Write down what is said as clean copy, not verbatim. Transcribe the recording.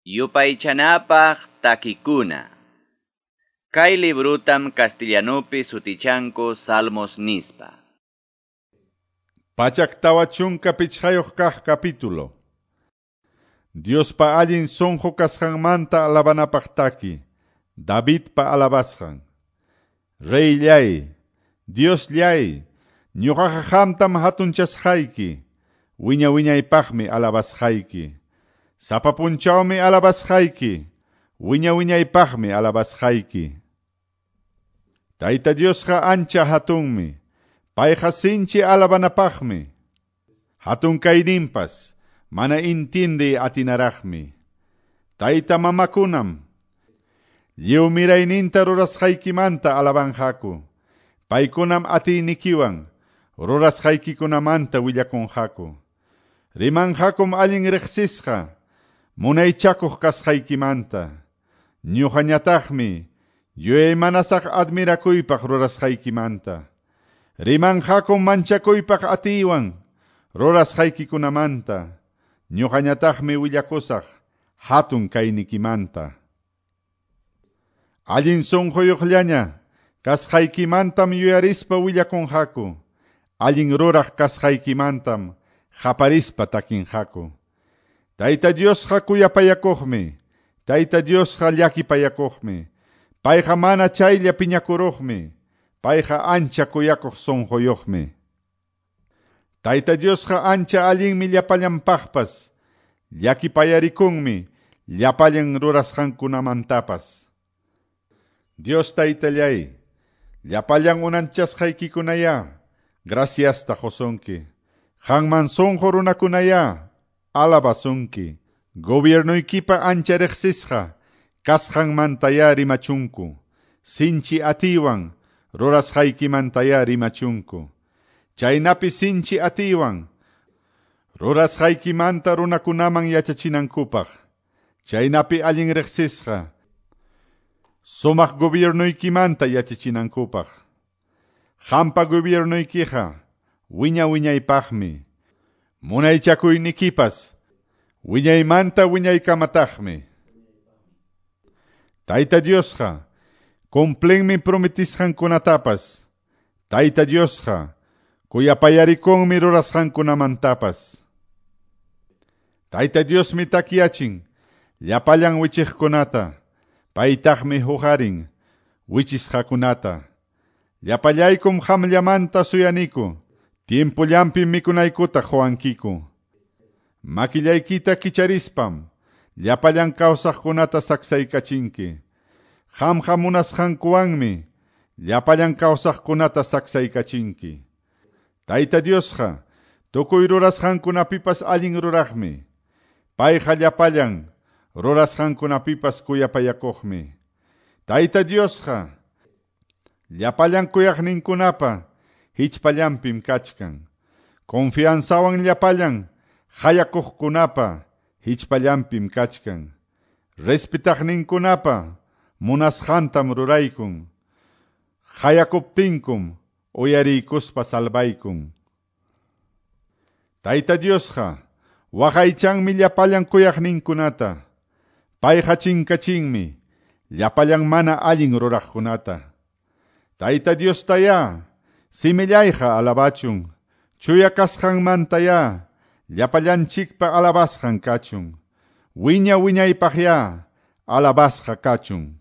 Yupaychanapaq takikuna. Kay librutam castellanupi sutichanku Salmos nispa. 145 kaq capítulo. Diospa allin sunqu kasqanmanta alabanapaq taki, Davidpa alabasqan. Reyllay, Diosllay, ñuqaqa qamtam hatunchasqayki, wiña wiñaypaqmi alabasqayki. Sapa punchawmi alabasqayki, wiña wiñaypaqmi alabasqayki. Tayta Diosqa ancha hatunmi, payqa sinchi alabanapaqmi. Hatun kayninpas mana intindiy atinaraqmi. Tayta mamakunam lliw mirayninta rurasqaykimanta alabanqaku. Paykunam atiynikiwan rurasqaykikunamanta willakunqaku. Rimanqakum allin riqsisqa munaychakuq kasqaykimanta. Ñuqañataqmi yuyaymanasaq admirakuypaq rurasqaykimanta. Rimanqakum manchakuypaq atiywan rurasqaykikunamanta. Ñuqañataqmi willakusaq hatun kaynikimanta. Allin sunquyuqllaña kasqaykimantam yuyarispa willakunqaku. Allin ruraq kasqaykimantam qaparispa takinqaku. Tayta Diosqa kuyapayakuqmi, Tayta Diosqa llakipayakuqmi, payqa mana chaylla piñakuruqmi, payqa ancha kuyakuq sunquyuqmi. Tayta Diosqa ancha allinmi llapallanpaqpas, llakipayarikunmi llapallan rurasqankunamantapas. Dios Taytallay, llapallan unanchasqaykikunaya, graciasta qusunki. Qanman sunqu runakunaya, alabasunki. Gobiernoykipa ancha riqsisqa kasqanmantaya rimachunku. Sinchi atiywan rurasqaykimantaya rimachunku. Chaynapi sinchi atiywan rurasqaykimanta runakunaman yachachinankupaq. Chaynapi allin riqsisqa sumaq gobiernoykimanta yachachinankupaq. Qampa gobiernoykiqa wiña wiñaypaqmi. Munaychakuynikipas wiñaymanta wiñaykamataqmi. Tayta Diosqa cumplinmi prometisqankunatapas. Tayta Diosqa kuyapayarikunmi rurasqankunamantapas. Tayta Diosmi takyachin llapallan wichiqkunata, paytaqmi huqarin wichisqakunata. Llapallaykum qamllamanta suyaniku, tiempollanpi mikunaykuta quwankiku. Makillaykita kicharispam llapallan kawsaqkunata saksaykachinki. Qamqa munasqankuwanmi llapallan kawsaqkunata saksaykachinki. Tayta Diosqa tukuy rurasqankunapipas allin ruraqmi. Payqa llapallan rurasqankunapipas kuyapayakuqmi. Tayta Diosqa llapallan kuyaqninkunapa hichpallanpim kachkan. Confianzawan llapallan hayakuqkunapa hichpallanpim kachkan. Respetaqninkunapa munasqantam ruraykun. Hayakuptinkum uyariykuspa salvaykun. Tayta Diosqa waqaychanmi llapallan kuyaqninkunata. Payqa chinkachinmi llapallan mana allin ruraqkunata. Tayta Diostayá simillayqa alabachun, chuya kasqanmantayá llapallanchikpa alabasqan kachun. Wiña wiñaypaqyá alabasqa kachun.